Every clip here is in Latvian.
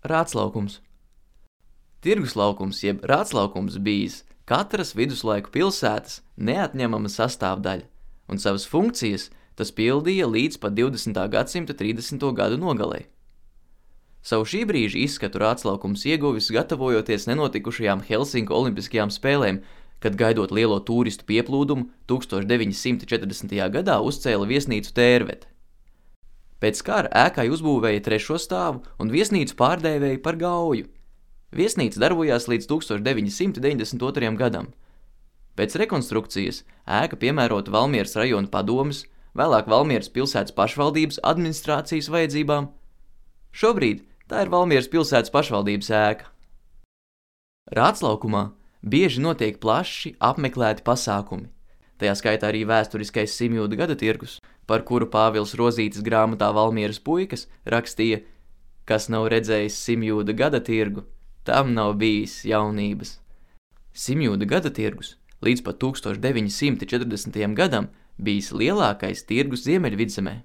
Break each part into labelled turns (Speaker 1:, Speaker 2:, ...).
Speaker 1: Rātslaukums. Tirgus laukums jeb rātslaukums bijis katras viduslaiku pilsētas neatņemama sastāvdaļa, un savas funkcijas tas pildīja līdz pat 20. gadsimta 30. gadu nogalei. Savu šī brīža izskatu rātslaukums ieguvis gatavojoties nenotikušajām Helsinku olimpiskajām spēlēm, kad gaidot lielo tūristu pieplūdumu 1940. gadā uzcēla viesnīcu Tērvete. Pēc kara ēkai uzbūvēja 3. stāvu un viesnīcu pārdēvēja par Gauju. Viesnīca darbojās līdz 1992. gadam. Pēc rekonstrukcijas ēka piemērota Valmieras rajona padomes, vēlāk Valmieras pilsētas pašvaldības administrācijas vajadzībām. Šobrīd tā ir Valmieras pilsētas pašvaldības ēka. Rātslaukumā bieži notiek plaši apmeklēti pasākumi. Tajā skaitā arī vēsturiskais Simjūda gada tirgus, par kuru Pāvils Rozītis grāmatā Valmieras puikas rakstīja, kas nav redzējis Simjūda gada tirgu, tam nav bijis jaunības. Simjūda gada tirgus līdz pat 1940. gadam bijis lielākais tirgus Ziemeļvidzemē.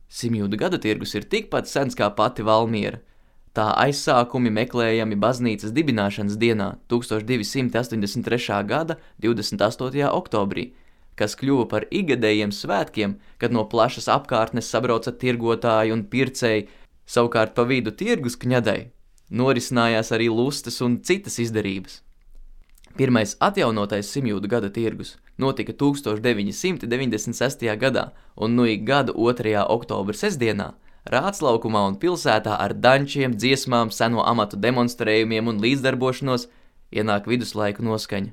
Speaker 1: Simjūda gada tirgus ir tikpat sens kā pati Valmiera. Tā aizsākumi meklējami baznīcas dibināšanas dienā 1283. gada 28. oktobrī, kas kļuva par ikgadējiem svētkiem, kad no plašas apkārtnes sabrauca tirgotāji un pircēji, savukārt pa vidu tirgus kņadai norisinājās arī lustes un citas izdarības. Pirmais atjaunotais Simjūda gada tirgus notika 1996. gadā un nu ik gada 2. oktobra sestdienā Rātslaukumā un pilsētā ar dančiem, dziesmām, seno amatu demonstrējumiem un līdzdarbošanos ienāk viduslaiku noskaņa.